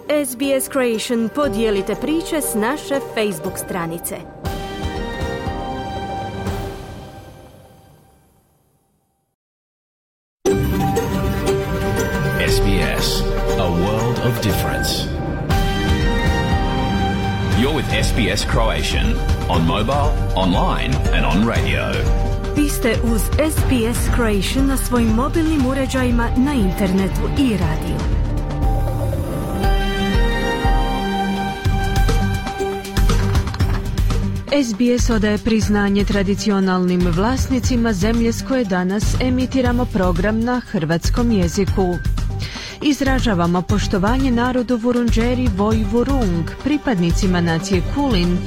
SBS Creation podijelite priče s naše Facebook stranice. SBS, a world of difference. You're with SBS Croatian on mobile, online and on radio. Vi ste uz SBS Creation na svojim mobilnim uređajima, na internetu i radiju. SBS odaje priznanje tradicionalnim vlasnicima zemlje s koje danas emitiramo program na hrvatskom jeziku. Izražavamo poštovanje narodu Vurundjeri Voi Vurung, pripadnicima nacije Kulin,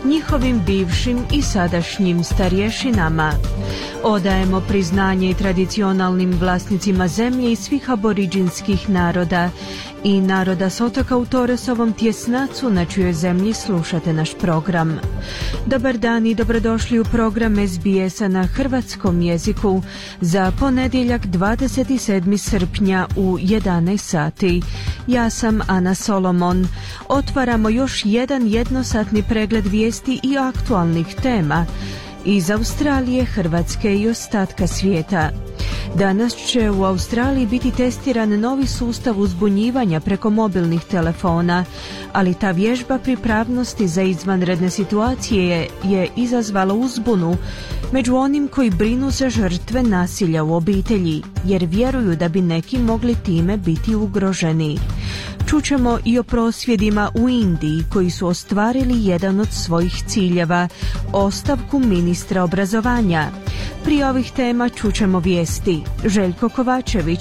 njihovim bivšim i sadašnjim starješinama. Odajemo priznanje i tradicionalnim vlasnicima zemlje i svih aboriđinskih naroda i naroda s otoka u Toresovom tjesnacu na čijoj zemlji slušate naš program. Dobar dan i dobrodošli u program SBS-a na hrvatskom jeziku za ponedjeljak 27. srpnja u 11 sati. Ja sam Ana Solomon. Otvaramo još jedan jednosatni pregled vijesti i aktualnih tema iz Australije, Hrvatske i ostatka svijeta. Danas će u Australiji biti testiran novi sustav uzbunjivanja preko mobilnih telefona, ali ta vježba pripravnosti za izvanredne situacije je izazvala uzbunu među onim koji brinu za žrtve nasilja u obitelji, jer vjeruju da bi neki mogli time biti ugroženi. Čućemo i o prosvjedima u Indiji koji su ostvarili jedan od svojih ciljeva, ostavku ministra obrazovanja. Prije ovih tema čućemo vijesti. Željko Kovačević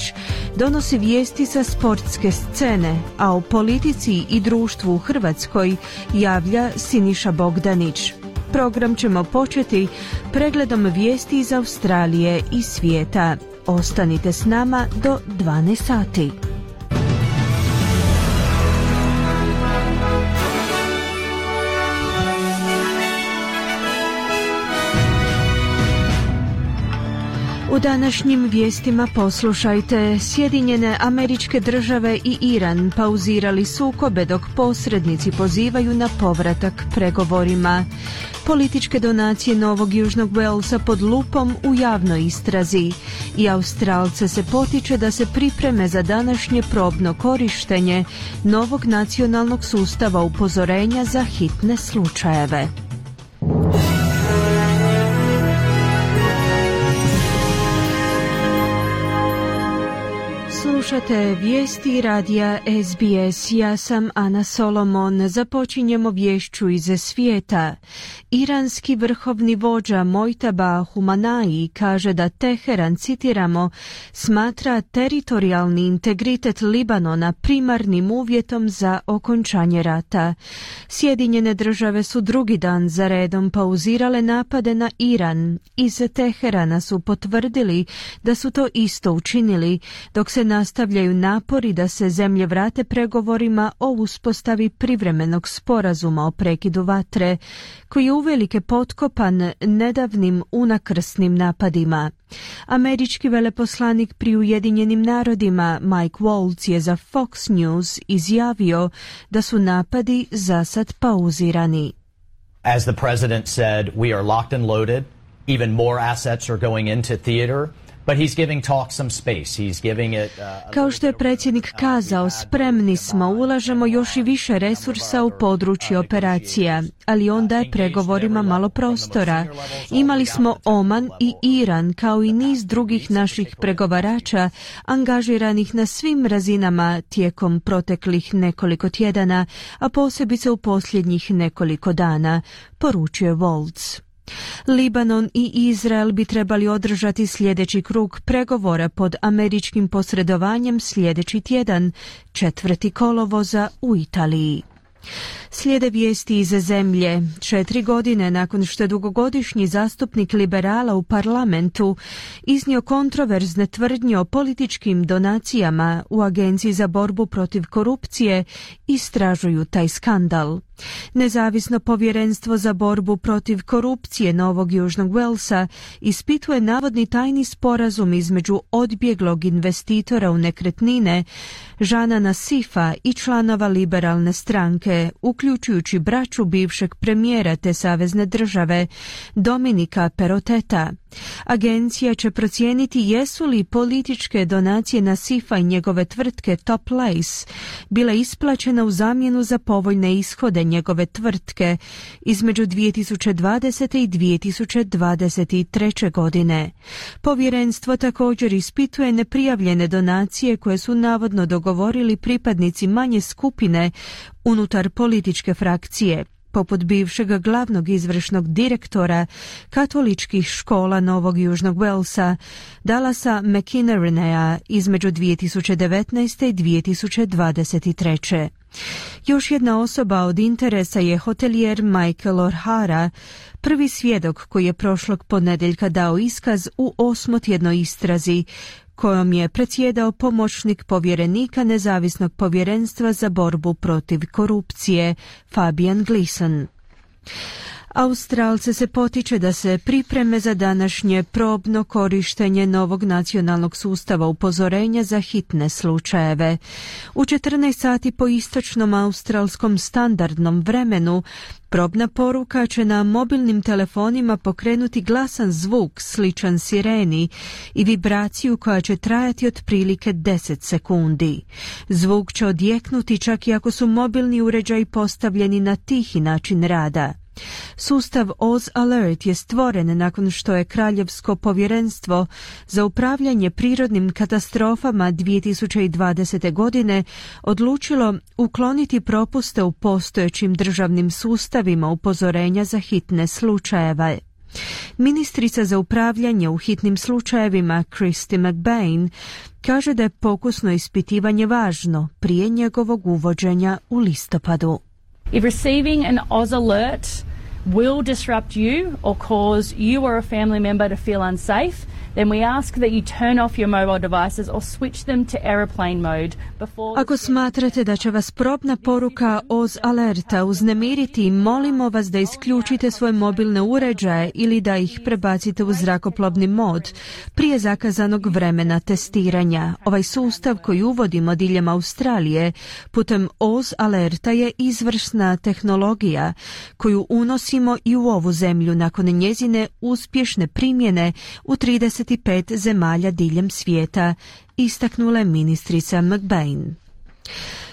donosi vijesti sa sportske scene, a o politici i društvu u Hrvatskoj javlja Siniša Bogdanić. Program ćemo početi pregledom vijesti iz Australije i svijeta. Ostanite s nama do 12 sati. U današnjim vijestima poslušajte: Sjedinjene Američke Države i Iran pauzirali sukobe dok posrednici pozivaju na povratak pregovorima. Političke donacije Novog Južnog Walesa pod lupom u javnoj istrazi i Australce se potiče da se pripreme za današnje probno korištenje novog nacionalnog sustava upozorenja za hitne slučajeve. Slušate vijesti radija SBS. Ja sam Ana Solomon. Započinjemo vješću iz svijeta. Iranski vrhovni vođa Mojtaba Humanai kaže da Teheran, citiramo, smatra teritorijalni integritet Libanona primarnim uvjetom za okončanje rata. Sjedinjene Države su drugi dan za redom pauzirale napade na Iran. Iz Teherana su potvrdili da su to isto učinili, dok se nastavljaju napori da se zemlje vrate pregovorima o uspostavi privremenog sporazuma o prekidu vatre, koji je uvelike potkopan nedavnim unakrsnim napadima. Američki veleposlanik pri Ujedinjenim narodima Mike Waltz je za Fox News izjavio da su napadi zasad pauzirani. As the president said, we are locked and loaded. Even more assets are going into theater. But he's giving talk some space. He's giving it, Kao što je predsjednik kazao, spremni smo, ulažemo još i više resursa u područje operacija, ali on daje pregovorima malo prostora. Imali smo Oman i Iran, kao i niz drugih naših pregovarača, angažiranih na svim razinama tijekom proteklih nekoliko tjedana, a posebice u posljednjih nekoliko dana, poručuje Waltz. Libanon i Izrael bi trebali održati sljedeći krug pregovora pod američkim posredovanjem sljedeći tjedan, 4. kolovoza u Italiji. Slijede vijesti iz zemlje. 4 godine nakon što je dugogodišnji zastupnik liberala u parlamentu iznio kontroverzne tvrdnje o političkim donacijama, u Agenciji za borbu protiv korupcije istražuju taj skandal. Nezavisno povjerenstvo za borbu protiv korupcije Novog Južnog Walesa ispituje navodni tajni sporazum između odbjeglog investitora u nekretnine Žana Nasifa i članova liberalne stranke, uključujući braću bivšeg premijera te savezne države Dominika Perrotteta. Agencija će procijeniti jesu li političke donacije Nasifa i njegove tvrtke Top Lace bile isplaćene u zamjenu za povoljne ishode njegove tvrtke između 2020. i 2023. godine. Povjerenstvo također ispituje neprijavljene donacije koje su navodno dogovorili pripadnici manje skupine unutar političke frakcije, poput bivšeg glavnog izvršnog direktora katoličkih škola Novog Južnog Walesa, Dallasa McInerneyja između 2019. i 2023. Još jedna osoba od interesa je hotelijer Michael O'Hara, prvi svjedok koji je prošlog ponedjeljka dao iskaz u 8-tjednoj istrazi kojom je predsjedao pomoćnik povjerenika Nezavisnog povjerenstva za borbu protiv korupcije Fabian Gleason. Australce se potiče da se pripreme za današnje probno korištenje novog nacionalnog sustava upozorenja za hitne slučajeve. U 14 sati po istočnom australskom standardnom vremenu probna poruka će na mobilnim telefonima pokrenuti glasan zvuk sličan sireni i vibraciju koja će trajati otprilike 10 sekundi. Zvuk će odjeknuti čak i ako su mobilni uređaji postavljeni na tihi način rada. Sustav Oz Alert je stvoren nakon što je Kraljevsko povjerenstvo za upravljanje prirodnim katastrofama 2020. godine odlučilo ukloniti propuste u postojećim državnim sustavima upozorenja za hitne slučajeve. Ministrica za upravljanje u hitnim slučajevima Christy McBain kaže da je pokusno ispitivanje važno prije njegovog uvođenja u listopadu. If receiving an Oz alert will disrupt you or cause you or a family member to feel unsafe, then we ask that you turn off your mobile devices or switch them to airplane mode before... Ako smatrate da će vas probna poruka Oz alerta uznemiriti, molimo vas da isključite svoje mobilne uređaje ili da ih prebacite u zrakoplovni mod prije zakazanog vremena testiranja. Ovaj sustav koji uvodimo diljem Australije putem Oz alerta je izvrsna tehnologija koju unosimo i u ovu zemlju nakon njezine uspješne primjene u 35 zemalja diljem svijeta, istaknula je ministrica McBain.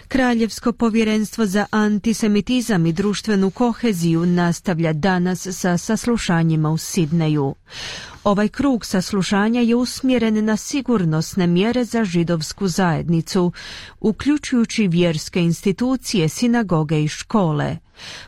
Kraljevsko povjerenstvo za antisemitizam i društvenu koheziju nastavlja danas sa saslušanjima u Sidneju. Ovaj krug saslušanja je usmjeren na sigurnosne mjere za židovsku zajednicu, uključujući vjerske institucije, sinagoge i škole.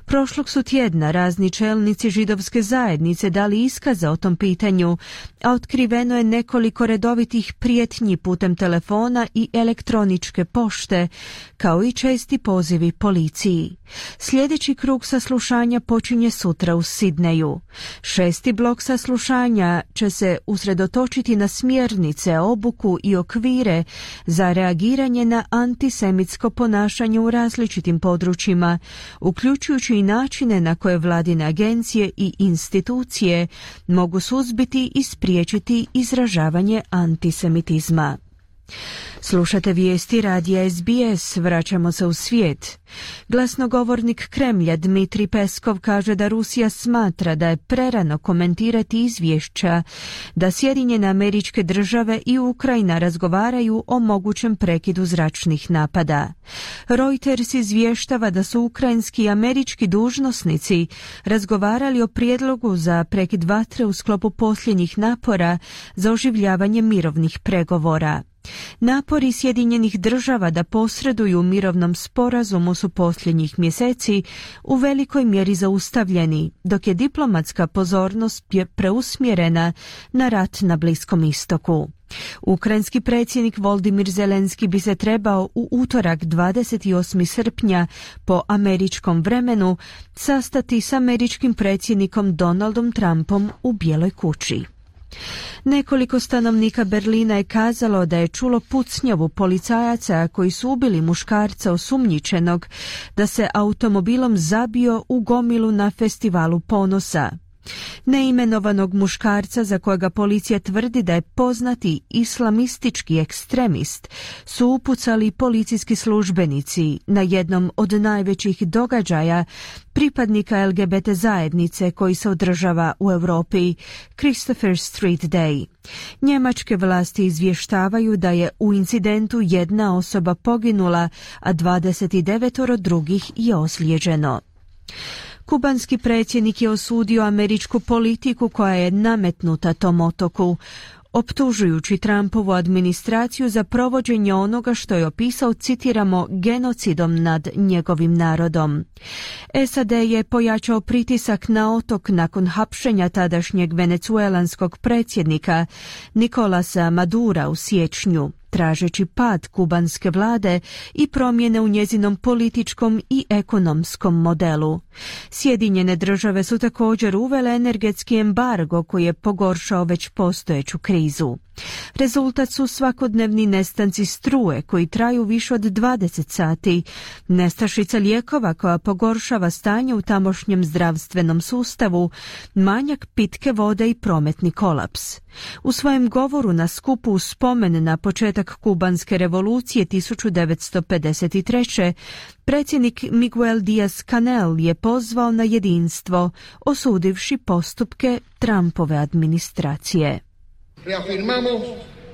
Prošlog su tjedna razni čelnici židovske zajednice dali iskaze o tom pitanju, a otkriveno je nekoliko redovitih prijetnji putem telefona i elektroničke pošte, kao i česti pozivi policiji. Sljedeći krug saslušanja počinje sutra u Sidneju. 6. blok saslušanja će se usredotočiti na smjernice, obuku i okvire za reagiranje na antisemitsko ponašanje u različitim područjima, uključujući i načine na koje vladine agencije i institucije mogu suzbiti i spriječiti izražavanje antisemitizma. Slušate vijesti radija SBS, vraćamo se u svijet. Glasnogovornik Kremlja Dmitrij Peskov kaže da Rusija smatra da je prerano komentirati izvješća da Sjedinjene Američke Države i Ukrajina razgovaraju o mogućem prekidu zračnih napada. Reuters izvještava da su ukrajinski i američki dužnosnici razgovarali o prijedlogu za prekid vatre u sklopu posljednjih napora za oživljavanje mirovnih pregovora. Napori Sjedinjenih Država da posreduju u mirovnom sporazumu su posljednjih mjeseci u velikoj mjeri zaustavljeni, dok je diplomatska pozornost preusmjerena na rat na Bliskom istoku. Ukrajinski predsjednik Volodymyr Zelenski bi se trebao u utorak 28. srpnja po američkom vremenu sastati s američkim predsjednikom Donaldom Trumpom u Bijeloj kući. Nekoliko stanovnika Berlina je kazalo da je čulo pucnjavu policajaca koji su ubili muškarca osumnjičenog da se automobilom zabio u gomilu na festivalu Ponosa. Neimenovanog muškarca, za kojega policija tvrdi da je poznati islamistički ekstremist, su upucali policijski službenici na jednom od najvećih događaja pripadnika LGBT zajednice koji se održava u Europi, Christopher Street Day. Njemačke vlasti izvještavaju da je u incidentu jedna osoba poginula, a 29 drugih je ozlijeđeno. Kubanski predsjednik je osudio američku politiku koja je nametnuta tom otoku, optužujući Trumpovu administraciju za provođenje onoga što je opisao, citiramo, genocidom nad njegovim narodom. SAD je pojačao pritisak na otok nakon hapšenja tadašnjeg venecuelanskog predsjednika Nicolasa Madura u siječnju, tražeći pad kubanske vlade i promjene u njezinom političkom i ekonomskom modelu. Sjedinjene države su također uvele energetski embargo koji je pogoršao već postojeću krizu. Rezultat su svakodnevni nestanci struje koji traju više od 20 sati, nestašica lijekova koja pogoršava stanje u tamošnjem zdravstvenom sustavu, manjak pitke vode i prometni kolaps. U svojem govoru na skupu u spomen na početak kubanske revolucije 1953. predsjednik Miguel Díaz-Canel je pozvao na jedinstvo, osudivši postupke Trumpove administracije. Reafirmamos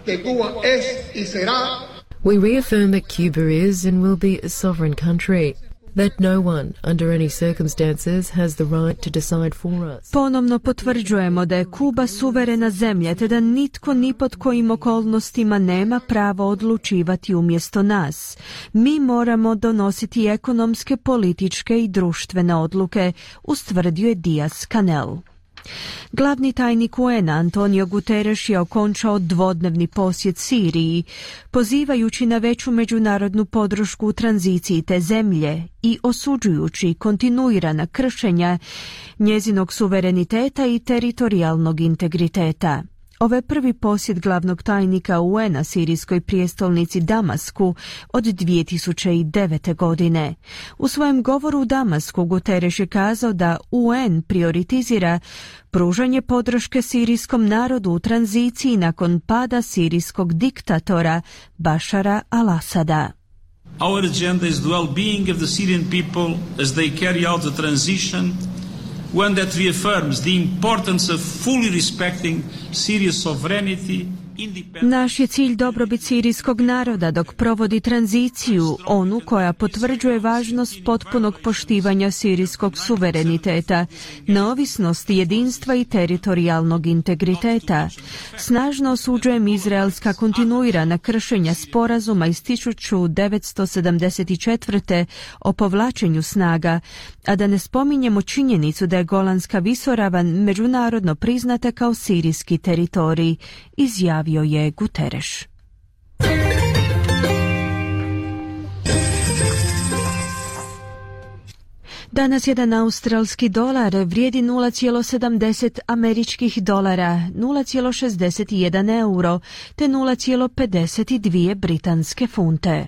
que Cuba es y será. We reaffirm that Cuba is and will be a sovereign country. That no one, under any circumstances, has the right to decide for us. Ponovno potvrđujemo da je Kuba suverena zemlja, te da nitko ni pod kojim okolnostima nema pravo odlučivati umjesto nas. Mi moramo donositi ekonomske, političke i društvene odluke, ustvrdio je Díaz-Canel. Glavni tajnik UN Antonio Guterres je okončao dvodnevni posjet Siriji, pozivajući na veću međunarodnu podršku u tranziciji te zemlje i osuđujući kontinuirana kršenja njezinog suvereniteta i teritorijalnog integriteta. Ovo je prvi posjet glavnog tajnika UN-a sirijskoj prijestolnici Damasku od 2009. godine. U svojem govoru u Damasku Guterres je kazao da UN prioritizira pružanje podrške sirijskom narodu u tranziciji nakon pada sirijskog diktatora Bašara al-Asada. Our agenda is the well-being of the Syrian people as they carry out the transition, one that reaffirms the importance of fully respecting Syria's sovereignty. Naš je cilj dobrobit sirijskog naroda dok provodi tranziciju, onu koja potvrđuje važnost potpunog poštivanja sirijskog suvereniteta, neovisnosti, jedinstva i teritorijalnog integriteta. Snažno osuđujem izraelska kontinuirana kršenja sporazuma iz 1974. o povlačenju snaga, a da ne spominjemo činjenicu da je Golanska visoravan međunarodno priznata kao sirijski teritorij, izjavio je Guterres. Danas jedan australski dolar vrijedi 0,70 američkih dolara, 0,61 euro te 0,52 britanske funte.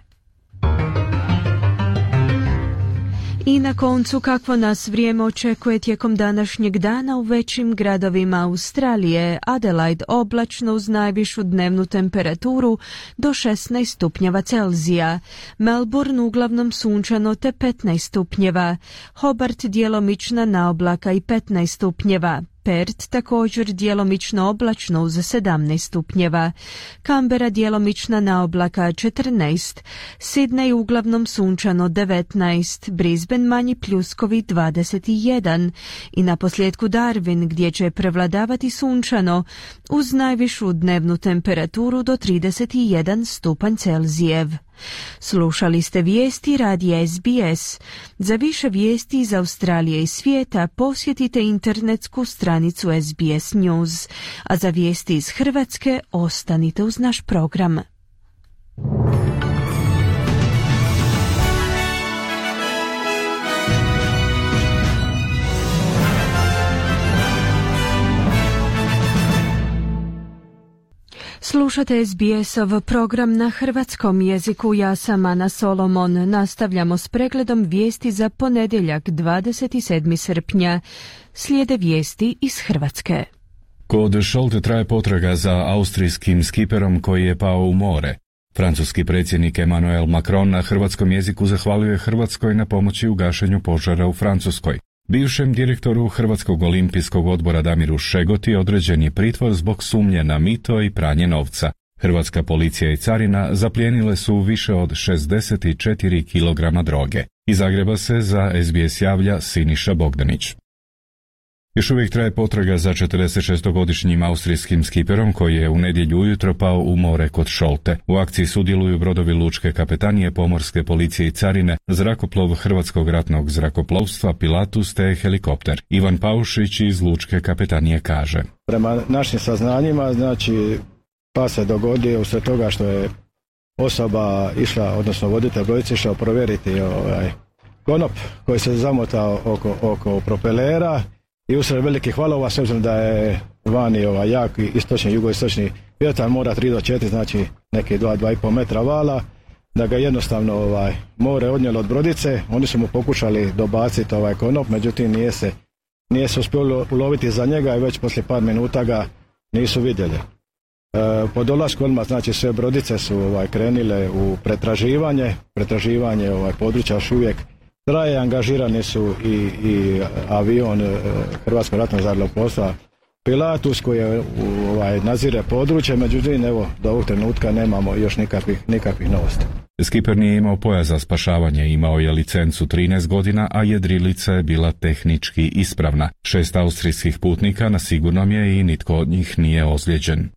I na koncu, kakvo nas vrijeme očekuje tijekom današnjeg dana u većim gradovima Australije. Adelaide oblačno uz najvišu dnevnu temperaturu do 16 stupnjeva Celzija. Melbourne uglavnom sunčano te 15 stupnjeva. Hobart djelomična naoblaka i 15 stupnjeva. Perth također djelomično oblačno uz 17 stupnjeva. Canberra djelomična naoblaka 14. Sydney uglavnom sunčano 19. Brisbane manji pljuskovi 21. I na posljedku Darwin gdje će prevladavati sunčano uz najvišu dnevnu temperaturu do 31 stupanj Celzijev. Slušali ste vijesti radija SBS. Za više vijesti iz Australije i svijeta posjetite internetsku stranicu SBS News, a za vijesti iz Hrvatske ostanite uz naš program. Slušate SBS-ov program na hrvatskom jeziku. Ja sam Ana Solomon. Nastavljamo s pregledom vijesti za ponedjeljak 27. srpnja. Slijede vijesti iz Hrvatske. Kod Šolte traje potraga za austrijskim skiperom koji je pao u more. Francuski predsjednik Emmanuel Macron na hrvatskom jeziku zahvalio Hrvatskoj na pomoći u gašenju požara u Francuskoj. Bivšem direktoru Hrvatskog olimpijskog odbora Damiru Šegoti određen je pritvor zbog sumnje na mito i pranje novca. Hrvatska policija i carina zaplijenile su više od 64 kg droge. Iz Zagreba se za SBS javlja Siniša Bogdanić. Još uvijek traje potraga za 46-godišnjim austrijskim skiperom koji je u nedjelju ujutro pao u more kod Šolte. U akciji sudjeluju brodovi lučke kapetanije, pomorske policije i carine, zrakoplov Hrvatskog ratnog zrakoplovstva Pilatus te helikopter. Ivan Paušić iz lučke kapetanije kaže: Prema našim saznanjima, pa se dogodio usred toga što je osoba išla, odnosno voditelj brodice išao provjeriti konop koji se zamotao oko propelera. I usred velikih valova, s obzirom da je vani jak istočni, jugoistočni vjetar, mora 3 do 4, znači neki 2,5 metra vala, da ga jednostavno more odnijelo od brodice. Oni su mu pokušali dobaciti konop, međutim nije se uspjelo uloviti za njega i već poslije par minuta ga nisu vidjeli. Po dolasku odmah, znači sve brodice su krenile u pretraživanje područja još uvijek traje, angažirani su i avion Hrvatskog ratnog zrakoplovstva Pilatus koji nadzire područje, međutim do ovog trenutka nemamo još nikakvih novosti. Skiper nije imao pojas za spašavanje, imao je licencu 13 godina, a jedrilica je bila tehnički ispravna. 6 austrijskih putnika na sigurnom je i nitko od njih nije ozlijeđen.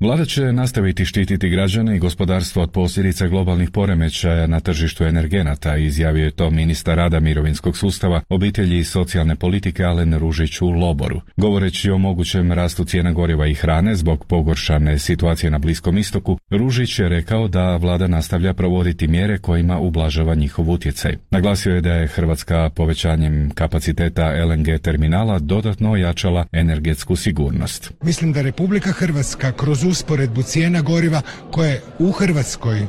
Vlada će nastaviti štititi građane i gospodarstvo od posljedica globalnih poremećaja na tržištu energenata, izjavio je to ministar rada, mirovinskog sustava, obitelji i socijalne politike Alen Ružić u Loboru. Govoreći o mogućem rastu cijena goriva i hrane zbog pogoršane situacije na Bliskom istoku, Ružić je rekao da vlada nastavlja provoditi mjere kojima ublažava njihov utjecaj. Naglasio je da je Hrvatska povećanjem kapaciteta LNG terminala dodatno ojačala energetsku sigurnost. Mislim da Republika Hrvatska kroz usporedbu cijena goriva koje u Hrvatskoj,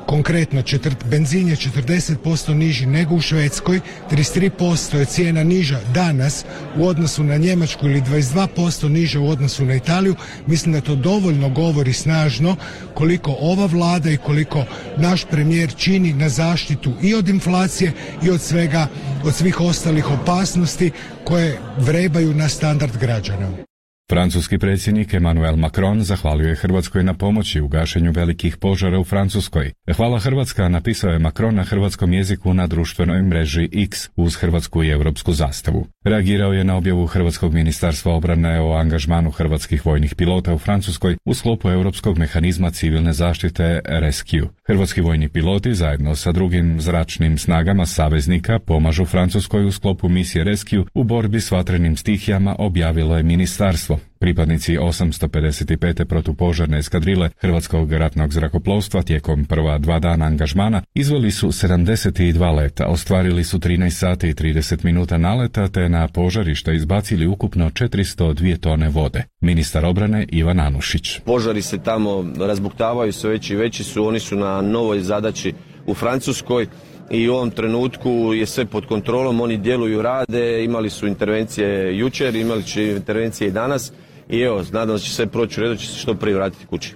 konkretno benzin je 40% niži nego u Švedskoj, 33% je cijena niža danas u odnosu na Njemačku ili 22% niža u odnosu na Italiju. Mislim da to dovoljno govori snažno koliko ova vlada i koliko naš premijer čini na zaštitu i od inflacije i od svih ostalih opasnosti koje vrebaju na standard građana. Francuski predsjednik Emmanuel Macron zahvalio je Hrvatskoj na pomoći u gašenju velikih požara u Francuskoj. Hvala Hrvatska, napisao je Macron na hrvatskom jeziku na društvenoj mreži X uz hrvatsku i europsku zastavu. Reagirao je na objavu Hrvatskog ministarstva obrane o angažmanu hrvatskih vojnih pilota u Francuskoj u sklopu europskog mehanizma civilne zaštite Rescue. Hrvatski vojni piloti zajedno sa drugim zračnim snagama saveznika pomažu Francuskoj u sklopu misije Rescue u borbi s vatrenim stihijama, objavilo je ministarstvo. Pripadnici 855. protupožarne eskadrile Hrvatskog ratnog zrakoplovstva tijekom prva 2 dana angažmana izveli su 72 leta, ostvarili su 13 sati i 30 minuta naleta te na požarište izbacili ukupno 402 tone vode. Ministar obrane Ivan Anušić. Požari se tamo razbuktavaju, sve veći i veći su, oni su na novoj zadaći u Francuskoj. I u ovom trenutku je sve pod kontrolom, oni djeluju, rade, imali su intervencije jučer, imali će intervencije i danas i nadam da će sve proći u redu, će se što prije vratiti kući.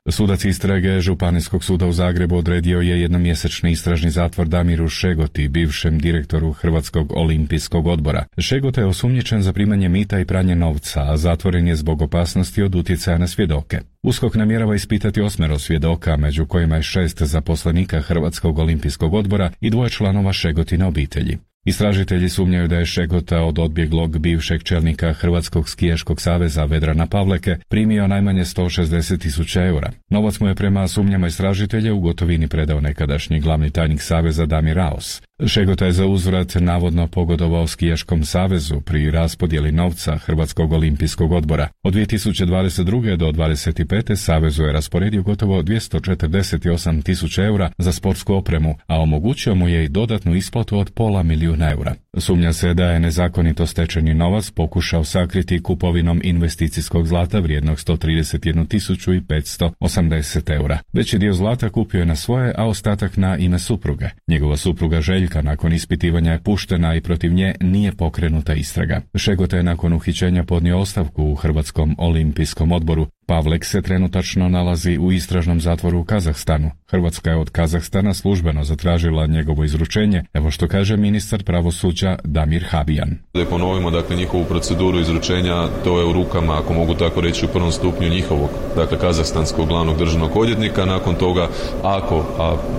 Sudac istrage Županijskog suda u Zagrebu odredio je jednomjesečni istražni zatvor Damiru Šegoti, bivšem direktoru Hrvatskog olimpijskog odbora. Šegota je osumnjičen za primanje mita i pranje novca, a zatvoren je zbog opasnosti od utjecaja na svjedoke. USKOK namjerava ispitati 8 svjedoka, među kojima je 6 zaposlenika Hrvatskog olimpijskog odbora i 2 članova Šegotine obitelji. Istražitelji sumnjaju da je Šegota od odbjeglog bivšeg čelnika Hrvatskog skijaškog saveza Vedrana Pavleke primio najmanje 160.000 eura. Novac mu je prema sumnjama istražitelja u gotovini predao nekadašnji glavni tajnik saveza Damir Raos. Šegota je za uzvrat navodno pogodovao skijaškom savezu pri raspodjeli novca Hrvatskog olimpijskog odbora. Od 2022. do 2025. savezu je rasporedio gotovo 248.000 eura za sportsku opremu, a omogućio mu je i dodatnu isplatu od $500.000 eura. Sumnja se da je nezakonito stečeni novac pokušao sakriti kupovinom investicijskog zlata vrijednog 131.580 eura. Veći dio zlata kupio je na svoje, a ostatak na ime supruge. Njegova supruga Željka nakon ispitivanja je puštena i protiv nje nije pokrenuta istraga. Šegota je nakon uhićenja podnio ostavku u Hrvatskom olimpijskom odboru. Pavlek se trenutačno nalazi u istražnom zatvoru u Kazahstanu. Hrvatska je od Kazahstana službeno zatražila njegovo izručenje, evo što kaže ministar pravosuđa Damir Habijan. Da ponovimo, dakle, njihovu proceduru izručenja, to je u rukama, ako mogu tako reći, u prvom stupnju njihovog, dakle, kazahstanskog glavnog državnog odvjetnika. Nakon toga, a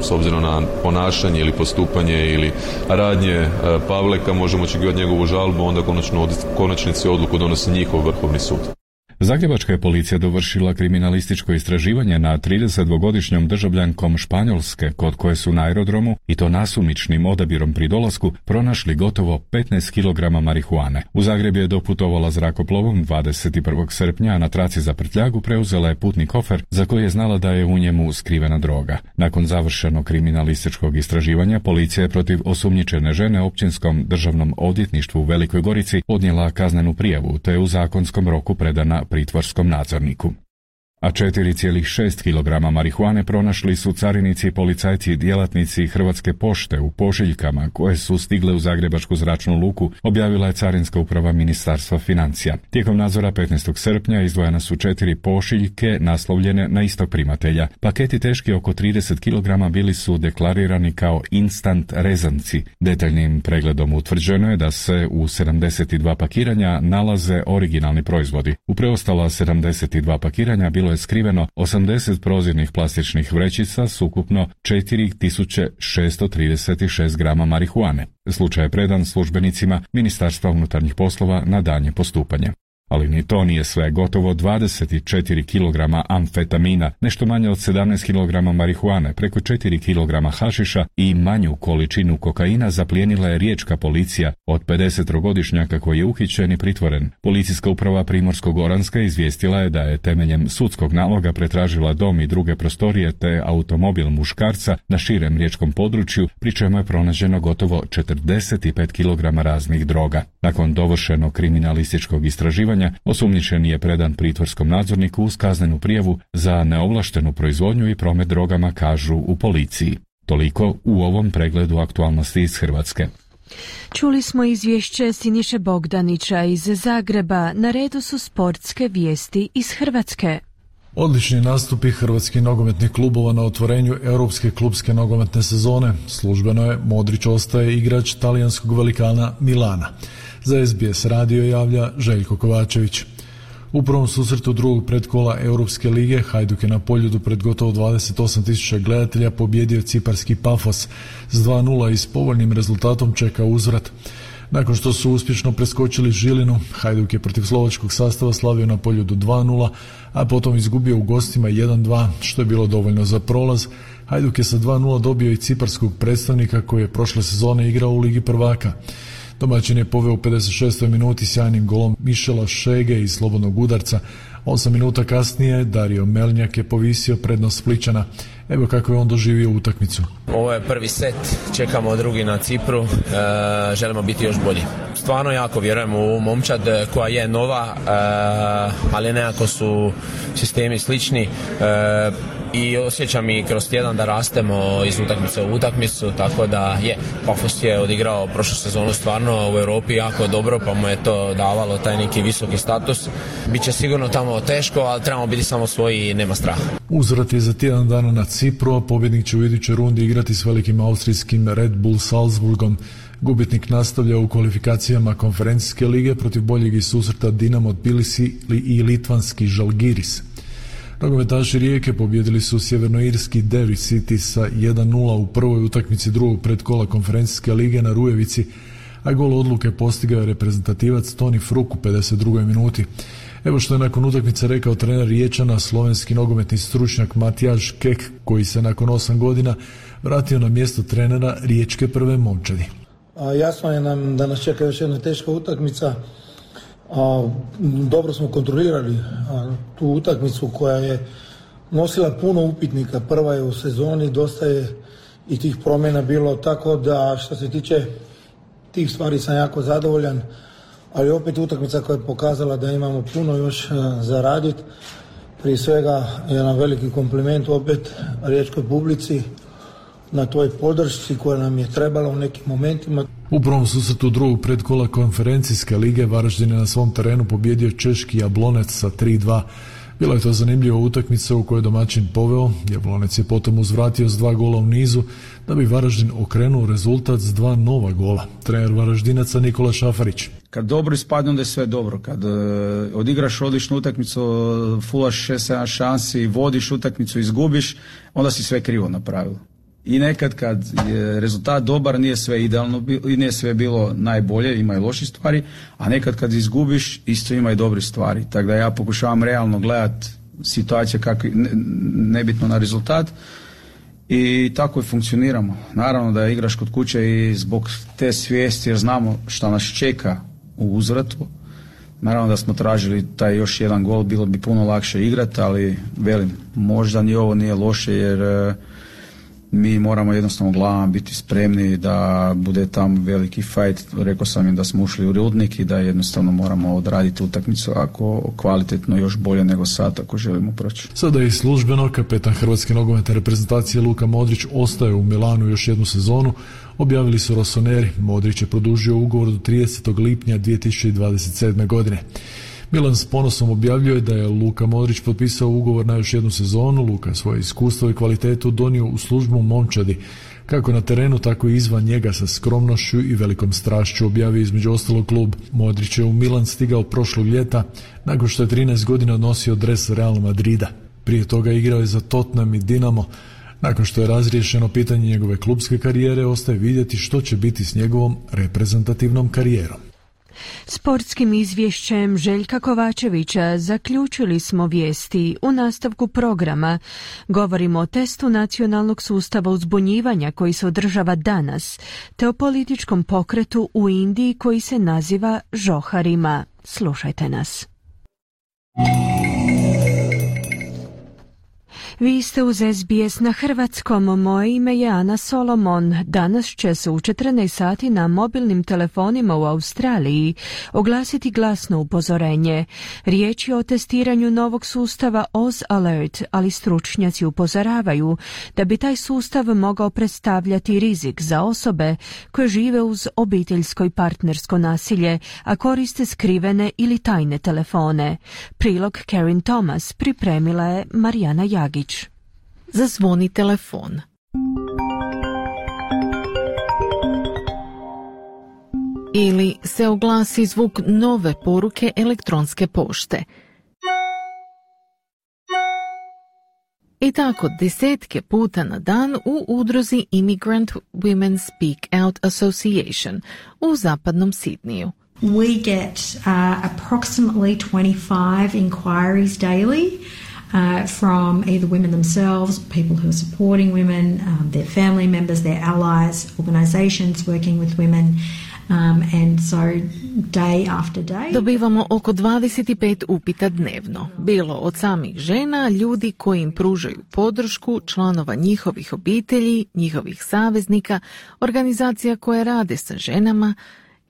s obzirom na ponašanje ili postupanje ili radnje Pavleka, možemo očekivati njegovu žalbu, onda konačnici odluku donosi njihov Vrhovni sud. Zagrebačka je policija dovršila kriminalističko istraživanje na 32-godišnjom državljankom Španjolske, kod koje su na aerodromu, i to nasumičnim odabirom pri dolasku, pronašli gotovo 15 kg marihuane. U Zagreb je doputovala zrakoplovom 21. srpnja, a na traci za prtljagu preuzela je putni kofer za koji je znala da je u njemu skrivena droga. Nakon završenog kriminalističkog istraživanja, policija je protiv osumnjičene žene Općinskom državnom odvjetništvu u Velikoj Gorici podnijela kaznenu prijavu, te je u zakonskom roku predana pritvorskom nadzorniku. A 4,6 kg marihuane pronašli su carinici, policajci i djelatnici Hrvatske pošte u pošiljkama koje su stigle u Zagrebačku zračnu luku, objavila je Carinska uprava Ministarstva financija. Tijekom nadzora 15. srpnja izdvojena su 4 pošiljke naslovljene na istog primatelja. Paketi teški oko 30 kg bili su deklarirani kao instant rezanci. Detaljnim pregledom utvrđeno je da se u 72 pakiranja nalaze originalni proizvodi. U preostala 72 pakiranja bilo je skriveno 80 prozirnih plastičnih vrećica s ukupno 4636 grama marihuane. Slučaj je predan službenicima Ministarstva unutarnjih poslova na daljnje postupanje. Ali ni to nije sve. Gotovo 24 kg amfetamina, nešto manje od 17 kg marihuane, preko 4 kg hašiša i manju količinu kokaina zaplijenila je riječka policija od 50-godišnjaka koji je uhićen i pritvoren. Policijska uprava Primorsko-goranska izvijestila je da je temeljem sudskog naloga pretražila dom i druge prostorije te automobil muškarca na širem riječkom području, pri čemu je pronađeno gotovo 45 kg raznih droga. Nakon dovršenog kriminalističkog istraživanja, osumnjičeni je predan pritvorskom nadzorniku uz kaznenu prijavu za neovlaštenu proizvodnju i promet drogama, kažu u policiji. Toliko u ovom pregledu aktualnosti iz Hrvatske. Čuli smo izvješće Siniše Bogdanića iz Zagreba. Na redu su sportske vijesti iz Hrvatske. Odlični nastupi hrvatskih nogometnih klubova na otvorenju europske klubske nogometne sezone. Službeno je Modrić ostaje igrač talijanskog velikana Milana. Za SBS radio javlja Željko Kovačević. U prvom susretu drugog predkola Europske lige Hajduk je na Poljudu pred gotovo 28.000 gledatelja pobjedio ciparski Pafos s 2:0 i s povoljnim rezultatom čeka uzvrat. Nakon što su uspješno preskočili Žilinu, Hajduk je protiv slovačkog sastava slavio na Poljudu 2:0, a potom izgubio u gostima 1:2, što je bilo dovoljno za prolaz. Hajduk je sa 2:0 dobio i ciparskog predstavnika koji je prošle sezone igrao u Ligi prvaka. Domaćin je poveo u 56. minuti sjajnim golom Mišela Šege iz slobodnog udarca. 8 minuta kasnije Dario Melnjak je povisio prednost Splićana. Evo kako je on doživio utakmicu. Ovo je prvi set, čekamo drugi na Cipru, želimo biti još bolji. Stvarno jako vjerujem u momčad koja je nova, ali nekako su sistemi slični i osjećam i kroz tjedan da rastemo iz utakmice u utakmicu, tako da Pafos je odigrao prošlu sezonu stvarno u Europi jako dobro, pa mu je to davalo taj neki visoki status. Biće sigurno tamo teško, ali trebamo biti samo svoji i nema straha. Uzvrat je za tjedan dana na Cipru, a pobjednik će u idućoj rundi igrati s velikim austrijskim Red Bull Salzburgom. Gubitnik nastavlja u kvalifikacijama konferencijske lige protiv boljeg iz susreta Dinamo Tbilisi i litvanski Žalgiris. Nogometaši Rijeke pobjedili su sjevernoirski Derry City sa 1:0 u prvoj utakmici drugog predkola konferencijske lige na Rujevici, a gol odluke postigao je reprezentativac Toni Fruk u 52. minuti. Evo što je nakon utakmice rekao trener Riječana, slovenski nogometni stručnjak Matijaž Kek, koji se nakon 8 godina vratio na mjesto trenera riječke prve momčadi. Jasno je nam da nas čeka još jedna teška utakmica. Dobro smo kontrolirali tu utakmicu koja je nosila puno upitnika. Prva je u sezoni, dosta je i tih promjena bilo, tako da što se tiče tih stvari sam jako zadovoljan, ali opet utakmica koja je pokazala da imamo puno još za raditi. Prije svega jedan veliki kompliment opet riječkoj publici na toj podršci koja nam je trebala u nekim momentima. U prvom susretu drugog predkola konferencijske lige Varaždin je na svom terenu pobjedio češki Jablonec sa 3-2. Bila je to zanimljiva utakmica u kojoj je domaćin poveo. Jablonec je potom uzvratio s 2 gola u nizu da bi Varaždin okrenuo rezultat s 2 nova gola. Trener Varaždinaca Nikola Šafarić. Kad dobro ispadne, onda je sve dobro. Kad odigraš odličnu utakmicu, fulaš 6-7 šansi, vodiš utakmicu, izgubiš, onda si sve krivo napravio. I nekad kad je rezultat dobar, nije sve idealno i nije sve bilo najbolje, ima i loših stvari, a nekad kad izgubiš, isto ima i dobrih stvari. Tako da ja pokušavam realno gledati situacije kako, nebitno na rezultat, i tako i funkcioniramo. Naravno da igraš kod kuće i zbog te svijesti, jer znamo šta nas čeka u uzvratu. Naravno da smo tražili taj još jedan gol, bilo bi puno lakše igrati, ali velim, možda ni ovo nije loše, jer mi moramo jednostavno glavama biti spremni da bude tamo veliki fight. Rekao sam im da smo ušli u Rudnik i da jednostavno moramo odraditi utakmicu ako kvalitetno još bolje nego sad ako želimo proći. Sada je i službeno kapetan Hrvatske nogometne reprezentacije Luka Modrić ostaje u Milanu još jednu sezonu. Objavili su Rossoneri. Modrić je produžio ugovor do 30. lipnja 2027. godine. Milan s ponosom objavljuje da je Luka Modrić potpisao ugovor na još jednu sezonu. Luka svoje iskustvo i kvalitetu donio u službu momčadi, kako na terenu, tako i izvan njega, sa skromnošću i velikom strašću, objavio između ostalog klub. Modrić je u Milan stigao prošlog ljeta, nakon što je 13 godina nosio dres Real Madrida. Prije toga igrao je za Tottenham i Dinamo. Nakon što je razriješeno pitanje njegove klubske karijere, ostaje vidjeti što će biti s njegovom reprezentativnom karijerom. Sportskim izvješćem Željka Kovačevića zaključili smo vijesti. U nastavku programa govorimo o testu nacionalnog sustava uzbunjivanja koji se održava danas, te o političkom pokretu u Indiji koji se naziva Žoharima. Slušajte nas. Vi ste uz SBS na hrvatskom. Moje ime je Ana Solomon. Danas će se u 14 sati na mobilnim telefonima u Australiji oglasiti glasno upozorenje. Riječ je o testiranju novog sustava Oz Alert, ali stručnjaci upozoravaju da bi taj sustav mogao predstavljati rizik za osobe koje žive uz obiteljsko i partnersko nasilje, a koriste skrivene ili tajne telefone. Prilog Karen Thomas pripremila je Marijana Jagić. Zazvoni telefon. Ili se oglasi zvuk nove poruke elektronske pošte. I tako desetke puta na dan u udruzi Immigrant Women Speak Out Association u zapadnom Sidniju. We get approximately 25 inquiries daily from either women themselves, people who are supporting women, their family members, their allies, organizations working with women. And so day after day. Dobivamo oko 25 upita dnevno, bilo od samih žena, ljudi koji im pružaju podršku, članova njihovih obitelji, njihovih saveznika, organizacija koje rade sa ženama.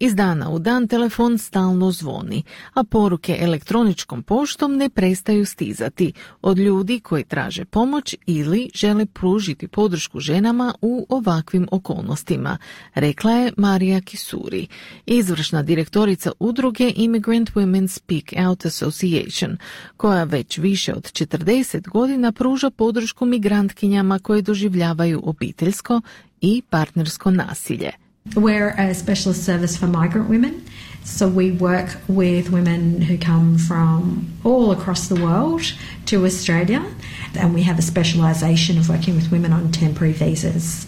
Iz dana u dan telefon stalno zvoni, a poruke elektroničkom poštom ne prestaju stizati od ljudi koji traže pomoć ili žele pružiti podršku ženama u ovakvim okolnostima, rekla je Marija Kisuri, izvršna direktorica udruge Immigrant Women Speak Out Association, koja već više od 40 godina pruža podršku migrantkinjama koje doživljavaju obiteljsko i partnersko nasilje. We're a specialist service for migrant women, so we work with women who come from all across the world to Australia, and we have a specialisation of working with women on temporary visas.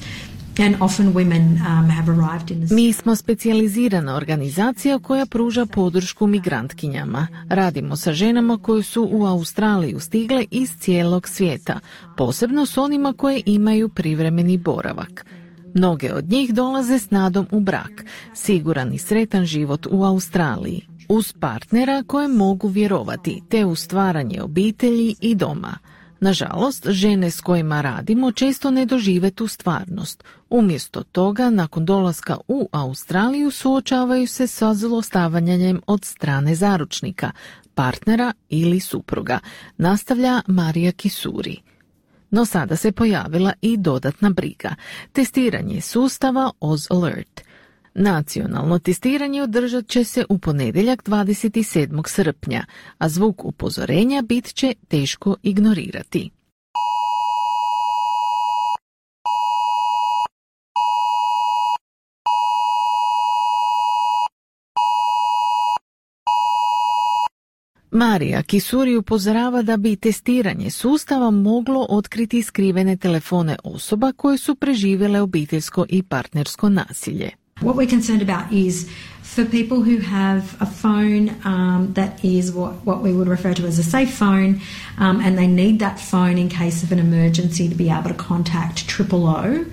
And often women have arrived in the... Mi smo specijalizirana organizacija koja pruža podršku migrantkinjama. Radimo sa ženama koje su u Australiju stigle iz cijelog svijeta, posebno s onima koje imaju privremeni boravak. Mnoge od njih dolaze s nadom u brak, siguran i sretan život u Australiji, uz partnera koje mogu vjerovati, te u stvaranje obitelji i doma. Nažalost, žene s kojima radimo često ne dožive tu stvarnost. Umjesto toga, nakon dolaska u Australiju suočavaju se sa zlostavljanjem od strane zaručnika, partnera ili supruga, nastavlja Marija Kisuri. No sada se pojavila i dodatna briga, testiranje sustava Oz Alert. Nacionalno testiranje održat će se u ponedjeljak 27. srpnja, a zvuk upozorenja bit će teško ignorirati. Marija Kisuri upozorava da bi testiranje sustava moglo otkriti skrivene telefone osoba koje su preživjele obiteljsko i partnersko nasilje. What we're concerned about is for people who have a phone that is what we would refer to as a safe phone, and they need that phone in case of an emergency to be able to contact 000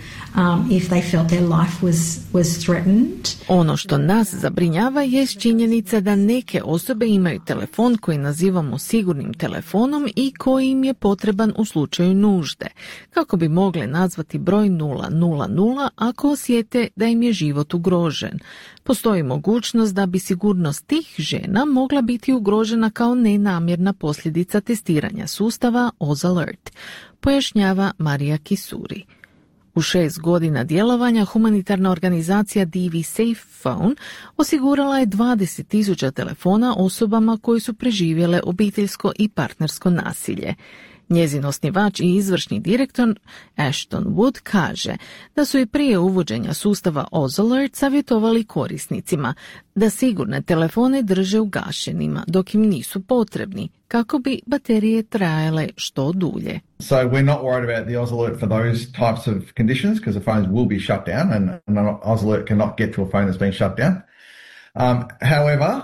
if they felt their life was threatened. Ono što nas zabrinjava je činjenica da neke osobe imaju telefon koji nazivamo sigurnim telefonom i koji im je potreban u slučaju nužde, kako bi mogle nazvati broj 000 ako osjete da im je život ugrožen. Postoji mogućnost da bi sigurnost tih žena mogla biti ugrožena kao nenamjerna posljedica testiranja sustava Oz Alert, pojašnjava Marija Kisuri. U 6 godina djelovanja humanitarna organizacija DV Safe Phone osigurala je 20.000 telefona osobama koji su preživjele obiteljsko i partnersko nasilje. Njezin osnivač i izvršni direktor Ashton Wood kaže da su i prije uvođenja sustava Oz Alert savjetovali korisnicima da sigurne telefone drže ugašenima dok im nisu potrebni, kako bi baterije trajale što dulje. So we're not worried about the Oz Alert for those types of conditions because the phones will be shut down and Oz Alert cannot get to a phone that's been shut down. However,